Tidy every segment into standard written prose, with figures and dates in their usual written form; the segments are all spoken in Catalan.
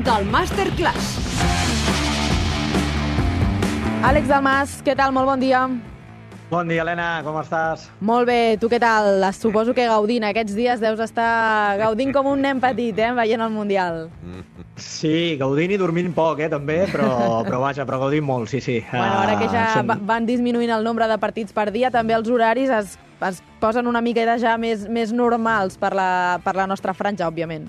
del Masterclass. Àlex Dalmas, què tal? Molt bon dia. Bon dia, Helena, com estàs? Molt bé, tu què tal? Suposo que gaudint. Aquests dies deus estar gaudint com un nen petit, veient el Mundial. Sí, gaudint i dormint poc, també, però però gaudint molt, sí. Bueno, ara que ja van disminuint el nombre de partits per dia, també els horaris es posen una miqueta ja més normals per la nostra franja, òbviament.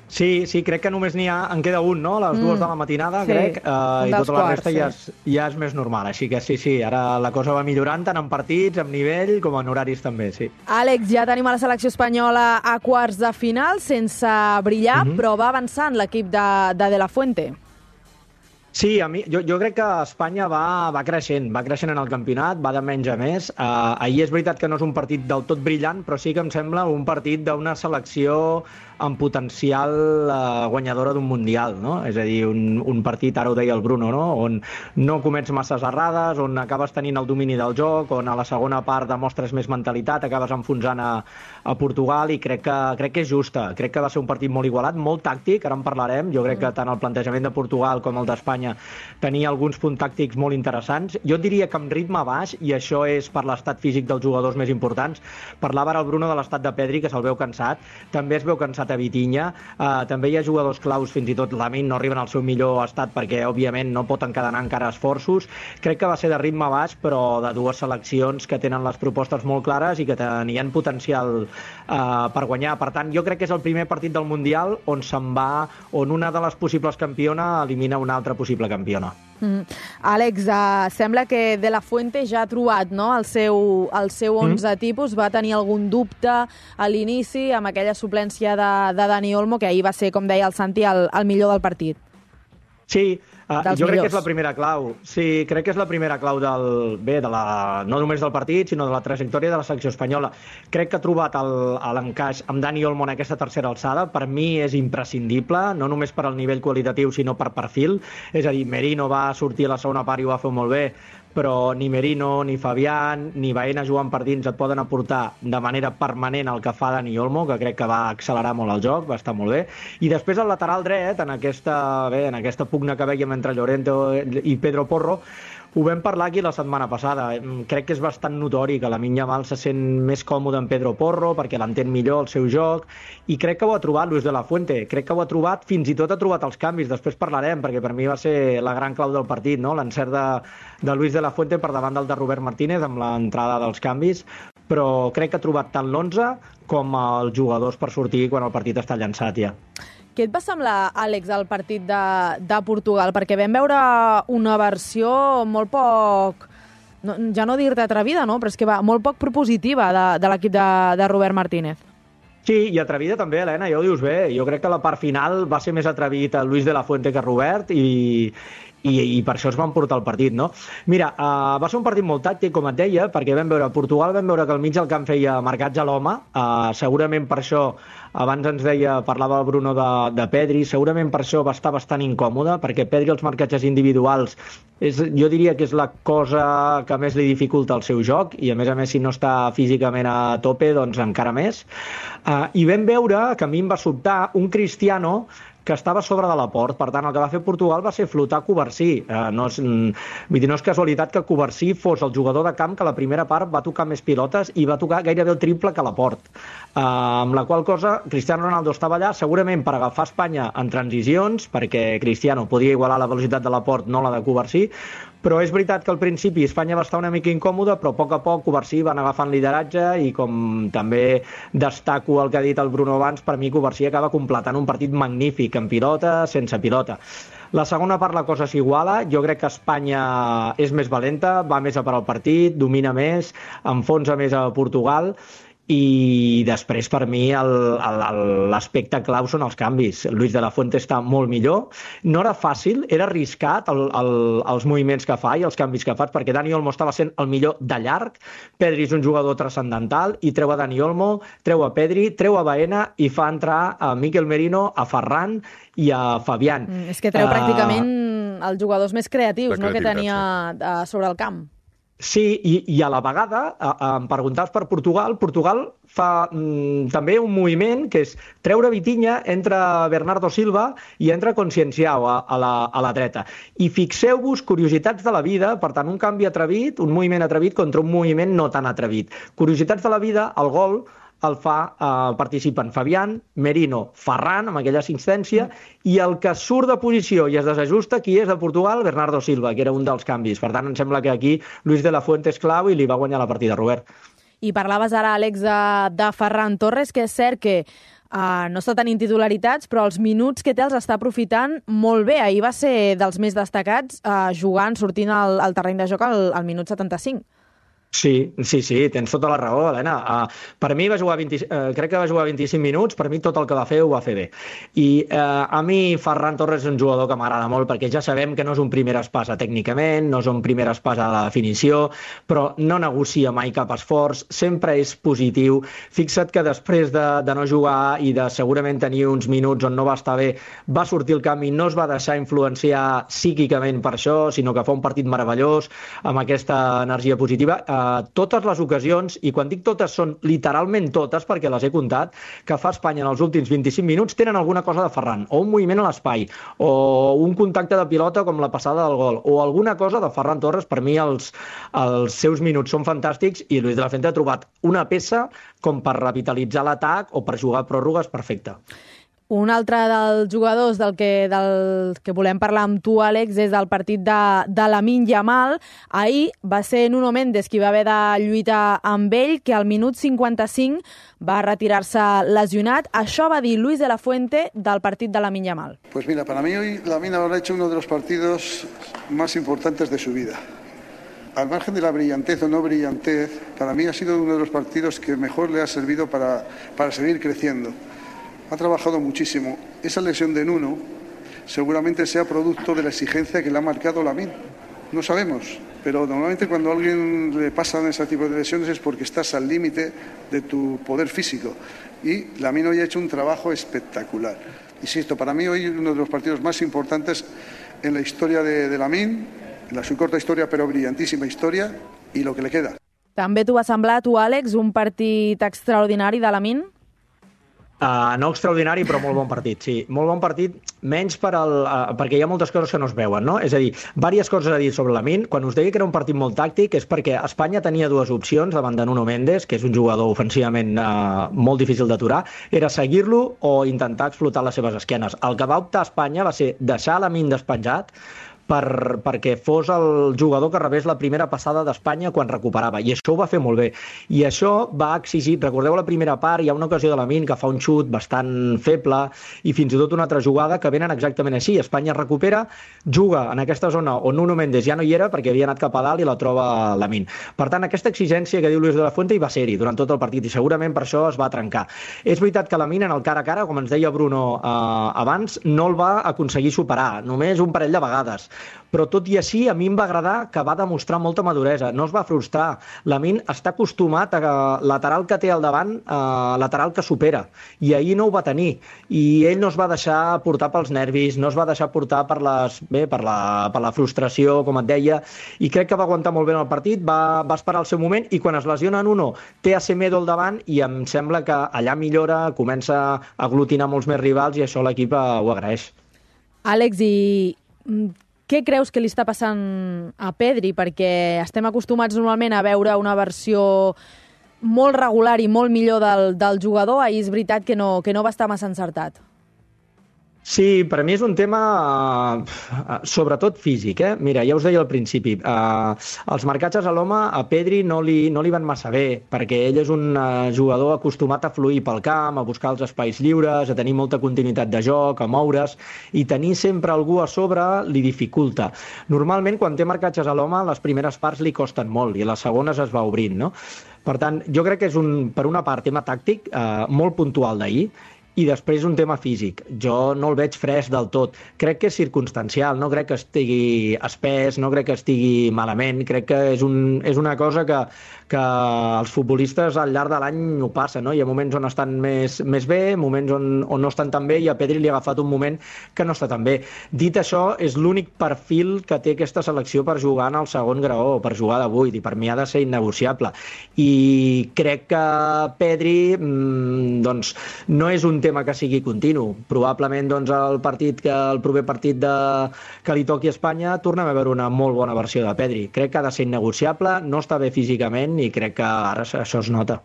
Sí, crec que només en queda un, no? A les 2 de la matinada, sí, crec, i tota la resta ja és més normal. Així que sí, ara la cosa va millorant tant en partits, en nivell, com en horaris també, sí. Àlex, ja tenim a la selecció espanyola a quarts de final, sense brillar, però va avançant l'equip de la Fuente. Sí, jo crec que Espanya va creixent en el campionat, va de menys a més. Ahir és veritat que no és un partit del tot brillant, però sí que em sembla un partit d'una selecció amb potencial guanyadora d'un Mundial, no? És a dir, un partit, ara ho deia el Bruno, no? On no comets masses errades, on acabes tenint el domini del joc, on a la segona part demostres més mentalitat, acabes enfonsant a Portugal, i crec que és justa. Crec que va ser un partit molt igualat, molt tàctic, ara en parlarem. Jo crec que tant el plantejament de Portugal com el d'Espanya tenia alguns punts tàctics molt interessants. Jo diria que amb ritme baix, i això és per l'estat físic dels jugadors més importants. Parlava ara el Bruno de l'estat de Pedri, que se'l veu cansat. També es veu cansat a Vitinha. També hi ha jugadors claus, fins i tot Lamine, no arriben al seu millor estat perquè, òbviament, no pot encadenar encara esforços. Crec que va ser de ritme baix, però de dues seleccions que tenen les propostes molt clares i que tenien potencial per guanyar. Per tant, jo crec que és el primer partit del Mundial on on una de les possibles campiones elimina una altra possible campiona. Àlex, sembla que De La Fuente ja ha trobat, no, el seu 11 tipus. Va tenir algun dubte a l'inici amb aquella suplència de Dani Olmo, que ahir va ser, com deia el Santi, el millor del partit. Sí, jo crec que és la primera clau. Sí, crec que és la primera clau no només del partit, sinó de la trajectòria de la selecció espanyola. Crec que ha trobat l'encaix amb Dani Olmo en aquesta tercera alçada. Per mi és imprescindible, no només per al nivell qualitatiu, sinó per perfil. És a dir, Merino va sortir a la segona part i ho va fer molt bé, però ni Merino, ni Fabián, ni Baena jugant per dins et poden aportar de manera permanent el que fa Dani Olmo, que crec que va accelerar molt el joc, va estar molt bé. I després al lateral dret, en aquesta pugna que veiem entre Llorente i Pedro Porro, ho vam parlar aquí la setmana passada. Crec que és bastant notori que Lamine Yamal se sent més còmode en Pedro Porro perquè l'entén millor el seu joc, i crec que ho ha trobat Luis de la Fuente. Crec que ho ha trobat, fins i tot ha trobat els canvis. Després parlarem, perquè per mi va ser la gran clau del partit, no? L'encert de Luis de la Fuente per davant del de Robert Martínez amb l'entrada dels canvis, però crec que ha trobat tant l'11 com els jugadors per sortir quan el partit està llançat ja. Què et va semblar, Àlex, el partit de Portugal? Perquè vam veure una versió molt poc, ja no dir-te atrevida, no? Però és que va molt poc propositiva de l'equip de Robert Martínez. Sí, i atrevida també, Helena, ja ho dius bé. Jo crec que la part final va ser més atrevit a Luis de la Fuente que Robert, i per això es van portar el partit, no? Mira, va ser un partit molt tàctic, com et deia, perquè Portugal vam veure que al mig del camp feia marcats a l'home. Segurament per això, abans parlava el Bruno de Pedri, segurament per això va estar bastant incòmode, perquè Pedri els marcatges individuals jo diria que és la cosa que més li dificulta el seu joc, i a més si no està físicament a tope, doncs encara més. I vam veure que a mi em va sobtar un Cristiano que estava a sobre de la port. Per tant, el que va fer Portugal va ser flotar Covarsí. No és casualitat que Covarsí fos el jugador de camp que la primera part va tocar més pilotes i va tocar gairebé el triple que la port. Amb la qual cosa, Cristiano Ronaldo estava allà segurament per agafar Espanya en transicions, perquè Cristiano podia igualar la velocitat de la port, no la de Covarsí, però és veritat que al principi Espanya va estar una mica incòmoda, però a poc Covarsí van agafant lideratge, i com també destaco el que ha dit el Bruno abans, per mi Covarsí acaba completant un partit magnífic, amb pilota, sense pilota. La segona part la cosa s'iguala. Jo crec que Espanya és més valenta, va més a per al partit, domina més, enfonsa més a Portugal, i després per mi l'aspecte clau són els canvis. Luis de la Fuente està molt millor. No era fàcil, era arriscat els moviments que fa i els canvis que fa, perquè Dani Olmo estava sent el millor de llarg. Pedri és un jugador transcendental i treu a Dani Olmo, treu a Pedri, treu a Baena i fa entrar a Mikel Merino, a Ferran i a Fabián. És que treu pràcticament els jugadors més creatius, no, que tenia sobre el camp. Sí, i a la vegada, em preguntaves per Portugal. Portugal fa també un moviment que és treure Vitinha, entra Bernardo Silva i entra Conscienciao a la dreta. I fixeu-vos, curiositats de la vida, per tant, un canvi atrevit, un moviment atrevit contra un moviment no tan atrevit. Curiositats de la vida, el gol participen Fabián, Merino, Ferran, amb aquella assistència, i el que surt de posició i es desajusta, qui és de Portugal? Bernardo Silva, que era un dels canvis. Per tant, em sembla que aquí Luis de la Fuente és clau i li va guanyar la partida, Robert. I parlaves ara, Àlex, de Ferran Torres, que és cert que no està tenint titularitats, però els minuts que té els està aprofitant molt bé. Ahir va ser dels més destacats jugant, sortint al terreny de joc al minut 75. Sí, tens tota la raó, Helena. Per mi crec que va jugar 25 minuts, per mi tot el que va fer ho va fer bé. I a mi Ferran Torres és un jugador que m'agrada molt perquè ja sabem que no és un primer espasa tècnicament, no és un primer espasa a la definició, però no negocia mai cap esforç, sempre és positiu. Fixa't que després de no jugar i de segurament tenir uns minuts on no va estar bé, va sortir al camp i no es va deixar influenciar psíquicament per això, sinó que fa un partit meravellós amb aquesta energia positiva. Totes les ocasions, i quan dic totes són literalment totes perquè les he comptat, que fa Espanya en els últims 25 minuts tenen alguna cosa de Ferran, o un moviment a l'espai, o un contacte de pilota com la passada del gol, o alguna cosa de Ferran Torres. Per mi els seus minuts són fantàstics i Luis de la Fuente ha trobat una peça com per revitalitzar l'atac o per jugar a pròrrogues perfecta. Un altre dels jugadors del que volem parlar amb tu, Àlex, és del partit de Lamine Yamal. Ahir va ser Nuno Mendes qui va haver de lluitar amb ell, que al minut 55 va retirar-se lesionat. Això va dir Luis de la Fuente del partit de Lamine Yamal. Pues mira, para mí hoy Lamine habrá hecho uno de los partidos más importantes de su vida. Al margen de la brillantez o no brillantez, para mí ha sido uno de los partidos que mejor le ha servido para seguir creciendo. Ha trabajado muchísimo. Esa lesión de Nuno seguramente sea producto de la exigencia que le ha marcado Lamine. No sabemos, pero normalmente cuando a alguien le pasan ese tipo de lesiones es porque estás al límite de tu poder físico. Y Lamine hoy ha hecho un trabajo espectacular. Insisto, para mí hoy uno de los partidos más importantes en la historia de Lamine, en su corta historia però brillantíssima història, i lo que le queda. També t'ho va semblar, tu, Àlex, un partit extraordinari de Lamine? No extraordinari, però molt bon partit, sí. Molt bon partit, menys perquè hi ha moltes coses que no es veuen, no? És a dir, diverses coses a dir sobre Lamine. Quan us deia que era un partit molt tàctic és perquè Espanya tenia dues opcions davant de Nuno Mendes, que és un jugador ofensivament molt difícil d'aturar, era seguir-lo o intentar explotar les seves esquenes. El que va optar Espanya va ser deixar Lamine despenjat perquè fos el jugador que rebés la primera passada d'Espanya quan recuperava, i això ho va fer molt bé. I això va exigir, recordeu la primera part, hi ha una ocasió de Lamine que fa un xut bastant feble i fins i tot una altra jugada que venen exactament així. Espanya recupera, juga en aquesta zona on Nuno Mendes ja no hi era perquè havia anat cap a dalt i la troba Lamine. Per tant, aquesta exigència que diu Luis de la Fuente hi va ser-hi durant tot el partit i segurament per això es va trencar. És veritat que Lamine en el cara a cara, com ens deia Bruno abans, no el va aconseguir superar, només un parell de vegades. Però tot i així a mi em va agradar que va demostrar molta maduresa, no es va frustrar. Lamine està acostumat a lateral que té al davant, lateral que supera, i ahir no ho va tenir, i ell no es va deixar portar pels nervis, no es va deixar portar per la frustració, com et deia, i crec que va aguantar molt bé en el partit, va esperar el seu moment, i quan es lesiona en uno té a Semedo al davant i em sembla que allà millora, comença a aglutinar molts més rivals i això l'equip ho agraeix. Àlex, i què creus que li està passant a Pedri? Perquè estem acostumats normalment a veure una versió molt regular i molt millor del jugador. Ahir és veritat que no va estar massa encertat. Sí, per a mi és un tema sobretot físic. Mira, ja us deia al principi, els marcatges a l'home a Pedri no li van massa bé, perquè ell és un jugador acostumat a fluir pel camp, a buscar els espais lliures, a tenir molta continuïtat de joc, a moure's, i tenir sempre algú a sobre li dificulta. Normalment, quan té marcatges a l'home, les primeres parts li costen molt i les segones es va obrint, no? Per tant, jo crec que és per una part tema tàctic molt puntual d'ahir, i després un tema físic. Jo no el veig fresc del tot. Crec que és circumstancial, no crec que estigui espès, no crec que estigui malament, crec que és una cosa que els futbolistes al llarg de l'any ho passen, no? Hi ha moments on estan més bé, moments on no estan tan bé, i a Pedri li ha agafat un moment que no està tan bé. Dit això, és l'únic perfil que té aquesta selecció per jugar en el segon graó, per jugar de 8, i per mi ha de ser innegociable. I crec que Pedri doncs, no és un tema que sigui continu. Probablement doncs, el proper partit que li toqui a Espanya tornem a veure una molt bona versió de Pedri. Crec que ha de ser innegociable, no està bé físicament i crec que ara això es nota.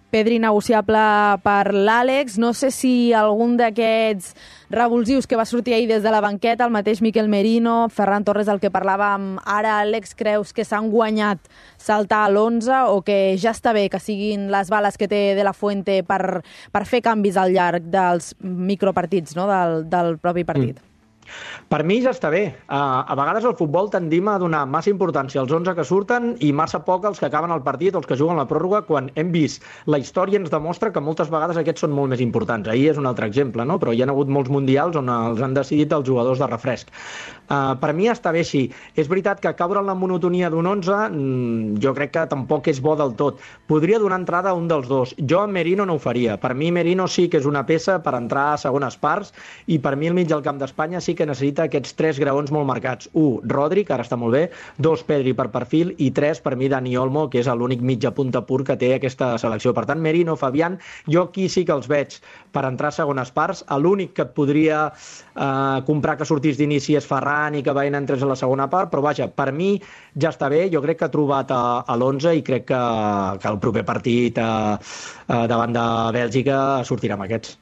Pedri negociable per l'Àlex. No sé si algun d'aquests revulsius que va sortir ahir des de la banqueta, el mateix Miquel Merino, Ferran Torres, el que parlàvem ara, Àlex, creus que s'han guanyat saltar a l'11 o que ja està bé que siguin les bales que té De La Fuente per fer canvis al llarg dels micropartits, no? del propi partit? Per mi ja està bé. A vegades al futbol tendim a donar massa importància als 11 que surten i massa poc als que acaben el partit o els que juguen la pròrroga, quan hem vist la història ens demostra que moltes vegades aquests són molt més importants. Ahir és un altre exemple, no? Però hi ha hagut molts mundials on els han decidit els jugadors de refresc. Per mi està bé així. És veritat que caure en la monotonia d'un 11 jo crec que tampoc és bo del tot. Podria donar entrada a un dels dos. Jo a Merino no ho faria. Per mi Merino sí que és una peça per entrar a segones parts, i per mi al mig del camp d'Espanya sí que necessita aquests 3 graons molt marcats. 1, Rodri, que ara està molt bé, 2, Pedri per perfil, i 3, per mi, Dani Olmo, que és l'únic mitja punta pur que té aquesta selecció. Per tant, Merino, Fabián, jo aquí sí que els veig per entrar a segones parts. L'únic que et podria comprar que sortís d'inici és Ferran i que Baena entrés a la segona part, però vaja, per mi ja està bé. Jo crec que ha trobat a l'11 i crec que el proper partit davant de Bèlgica sortirà amb aquests.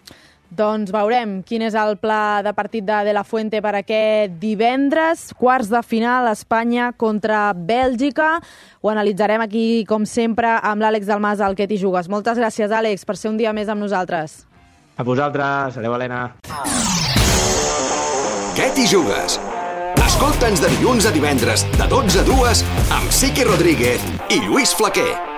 Doncs veurem quin és el pla de partit de La Fuente per aquest divendres. Quarts de final, Espanya contra Bèlgica. Ho analitzarem aquí, com sempre, amb l'Àlex Dalmases, al Que t'hi jugues. Moltes gràcies, Àlex, per ser un dia més amb nosaltres. A vosaltres. Adéu, Helena. Què t'hi jugues? Escolta'ns de dilluns a divendres, de 12 a 2, amb Siqui Rodríguez i Lluís Flaquer.